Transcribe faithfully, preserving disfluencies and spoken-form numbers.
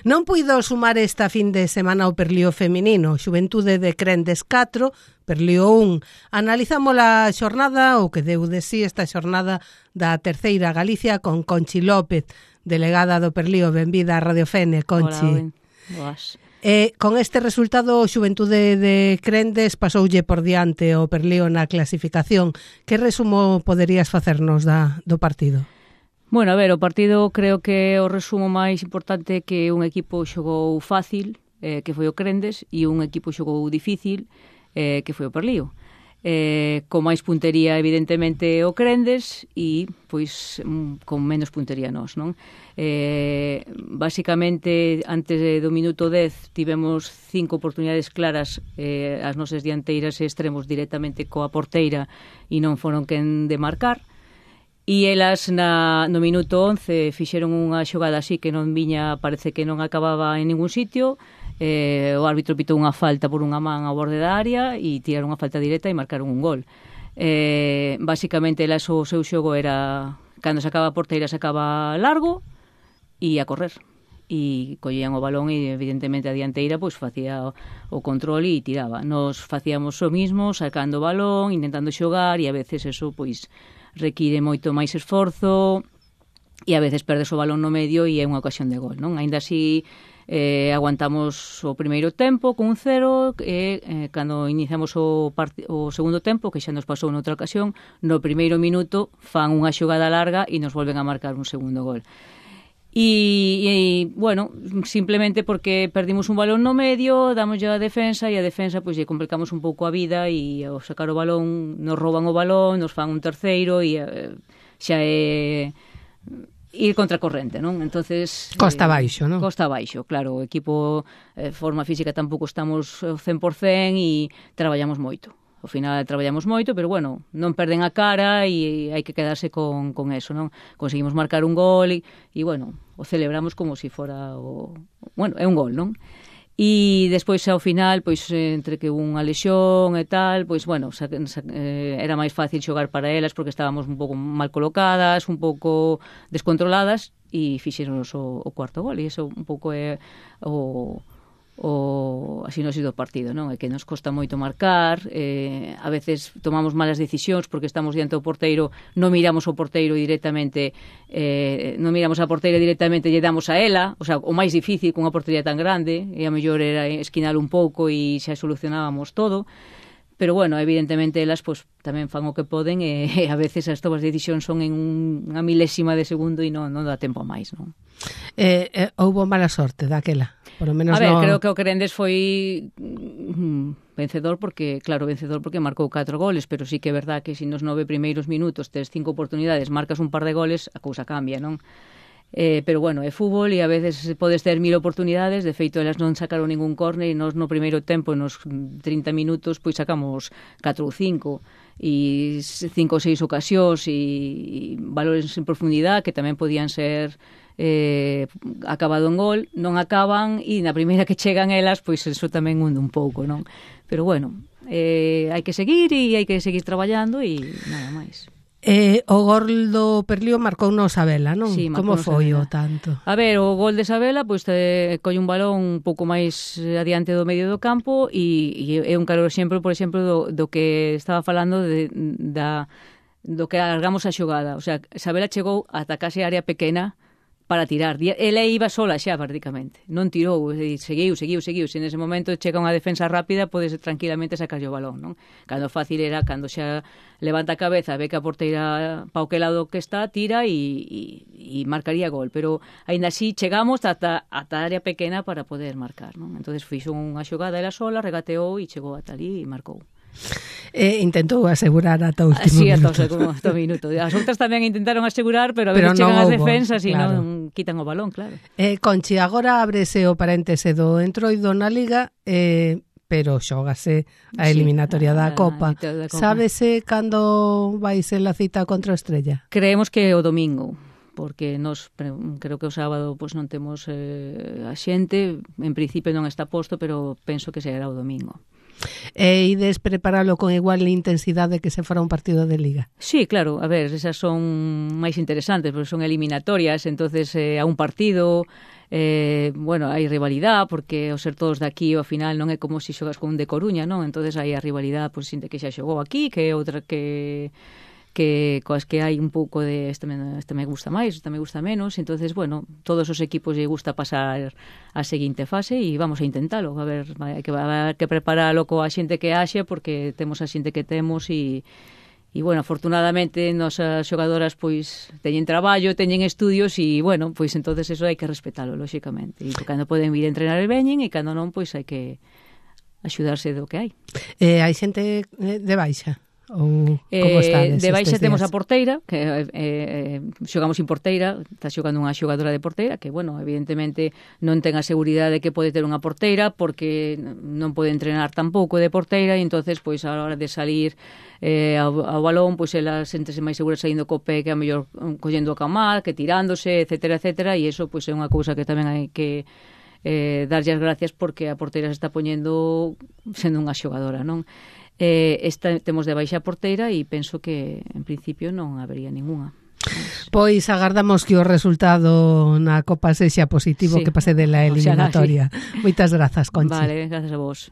Non puido sumar esta fin de semana o Perlío feminino, Xuventude de Crendes catro, Perlío un. Analizamos a xornada, o que deu de sí esta xornada da Terceira Galicia con Conchi López, delegada do Perlío. Benvida a Radio Fene, Conchi. Hola, boas. Eh, con este resultado, o Xuventude de Crendes pasoulle por diante o Perlío na clasificación. Que resumo poderías facernos da, do partido? Bueno, a ver, o partido creo que o resumo máis importante que un equipo xogou fácil, eh, que foi o Crendes, e un equipo xogou difícil, eh, que foi o Perlío. Eh, con máis puntería, evidentemente, o Crendes e, pois, con menos puntería nós, non? Eh, basicamente, antes do minuto dez, tivemos cinco oportunidades claras, eh, as nosas dianteiras e extremos directamente coa porteira e non foron quen de marcar. E elas na, no minuto once fixeron unha xogada así que non viña, parece que non acababa en ningún sitio. Eh, o árbitro pitou unha falta por unha man ao borde da área e tiraron unha falta directa e marcaron un gol. Eh, basicamente, elas o seu xogo era, cando sacaba a porteira, sacaba largo e a correr. E collían o balón e, evidentemente, a dianteira pois facía o, o control e tiraba. Nos facíamos o mismo, sacando o balón, intentando xogar, e a veces eso pois require moito máis esforzo e a veces perdes o balón no medio e é unha ocasión de gol, non? Aínda así, eh, aguantamos o primeiro tempo con un cero e eh, cando iniciamos o, o segundo tempo, que xa nos pasou noutra ocasión, no primeiro minuto fan unha xogada larga e nos volven a marcar un segundo gol. E, e, bueno, simplemente porque perdimos un balón no medio, damos a defensa e a defensa pois lle complicamos un pouco a vida e ao sacar o balón nos rouban o balón, nos fan un terceiro e eh, xa é ir contracorrente, non? Entonces costa eh, baixo, non? Costa baixo, claro, o equipo eh, forma física tampouco estamos cen por cen e traballamos moito. Ao final traballamos moito, pero bueno, non perden a cara e hai que quedarse con, con eso, non? Conseguimos marcar un gol e, e bueno, o celebramos como se si fora o... Bueno, é un gol, non? E despois ao final, pois entre que unha lesión e tal, pois bueno, sa, sa, eh, era máis fácil xogar para elas porque estábamos un pouco mal colocadas, un pouco descontroladas e fixéronos o, o cuarto gol e iso un pouco é o... o así non ha sido o partido, non? É que nos costa moito marcar, eh, a veces tomamos malas decisións porque estamos diante do porteiro, non miramos o porteiro directamente, eh, non miramos a porteira directamente, lle damos a ela, o sea, o máis difícil con unha portería tan grande, e a mellor era esquinar un pouco e xa solucionábamos todo. Pero bueno, evidentemente elas pues, tamén fan o que poden e, e a veces as tomas de decisión son en un, unha milésima de segundo e non, non dá tempo máis, non? Eh, eh, houbo mala sorte daquela, por lo menos. A ver, no... creo que o Crendes foi mm, vencedor porque, claro, vencedor porque marcou catro goles, pero sí que é verdad que se nos nove primeiros minutos tes cinco oportunidades, marcas un par de goles, a cousa cambia, non? Eh, pero bueno, é fútbol e a veces podes ter mil oportunidades. De feito, elas non sacaron ningún córner e nos no primeiro tempo, nos trinta minutos, pois sacamos catro ou cinco e cinco ou seis ocasións e, e valores en profundidade que tamén podían ser eh, acabado en gol, non acaban e na primeira que chegan elas, pois eso tamén hunde un pouco, non? Pero bueno, eh, hai que seguir e hai que seguir traballando e nada máis. Eh, o gol do Perlío marcou no Sabela, non? Sí, como foi Sabela. O tanto? A ver, o gol de Sabela, pois te colle un balón un pouco máis adiante do medio do campo e, e é un claro exemplo, por exemplo, do, do que estaba falando de, da, do que alargamos a xogada. O sea, Sabela chegou ata case área pequena para tirar. Ela iba sola xa, prácticamente. Non tirou, seguiu, seguiu, seguiu. Se nese momento chega unha defensa rápida, podes tranquilamente sacar o balón, non? Cando fácil era, cando xa levanta a cabeza, ve que a porteira pa o que lado que está, tira e, e, e marcaría gol. Pero, aínda así, chegamos ata, ata a área pequena para poder marcar, non? Entonces fixo unha xogada ela sola, regateou e chegou ata ali e marcou. Eh, intentou asegurar ata o último sí, minuto. Sí, ata o minuto. As outras tamén intentaron asegurar, pero a veces pero chegan as houbo, defensas e claro. non quitan o balón, claro. Eh, Conchi, agora ábrese o paréntese do entroido na Liga, eh, pero xógase a eliminatoria sí, da, a, Copa. da Copa. Sábese cando vai ser a cita contra a Estrella? Creemos que o domingo, porque nos creo que o sábado pues, non temos eh, a xente, en principio non está posto, pero penso que será o domingo. E ides preparalo con igual intensidade que se fora un partido de Liga? Sí, claro, a ver, esas son máis interesantes, porque son eliminatorias, entonces eh, a un partido, eh, bueno, hai rivalidade, porque ao ser todos de aquí, ao final non é como se xogas con un de Coruña, non? Entonces hai a rivalidade, pois, xente que xa xogou aquí, que outra que... que coas que hai un pouco de este me, este me gusta máis, este me gusta menos, entonces, bueno, todos os equipos lle gusta pasar a seguinte fase e vamos a intentalo, a ver, hai que, hai que preparalo coa xente que haxe, porque temos a xente que temos e e, bueno, afortunadamente nosas xogadoras pois teñen traballo, teñen estudios e, bueno, pois entonces eso hai que respetalo, lóxicamente, e cando poden vir a entrenar e veñen e cando non, pois hai que axudarse do que hai. Eh, hai xente de baixa? Ou como estades? Eh, de baixa temos a porteira, que eh, eh, xogamos sin porteira, está xogando unha xogadora de porteira, que, bueno, evidentemente non ten a seguridade que pode ter unha porteira, porque non pode entrenar tampouco de porteira, e entonces, pois, a hora de salir eh, ao, ao balón, pois, ela sentese máis segura saindo co pé que a mellor collendo a camar, que tirándose, etcétera, etcétera, e iso, pois, é unha cousa que tamén hai que eh, darlle as gracias, porque a porteira se está poñendo sendo unha xogadora, non? Eh, esta temos de baixa porteira e penso que en principio non habería ningunha. Pois agardamos que o resultado na Copa sexa positivo, sí, que pase de la eliminatoria. Sí. Moitas grazas, Conchi. Vale, grazas a vos.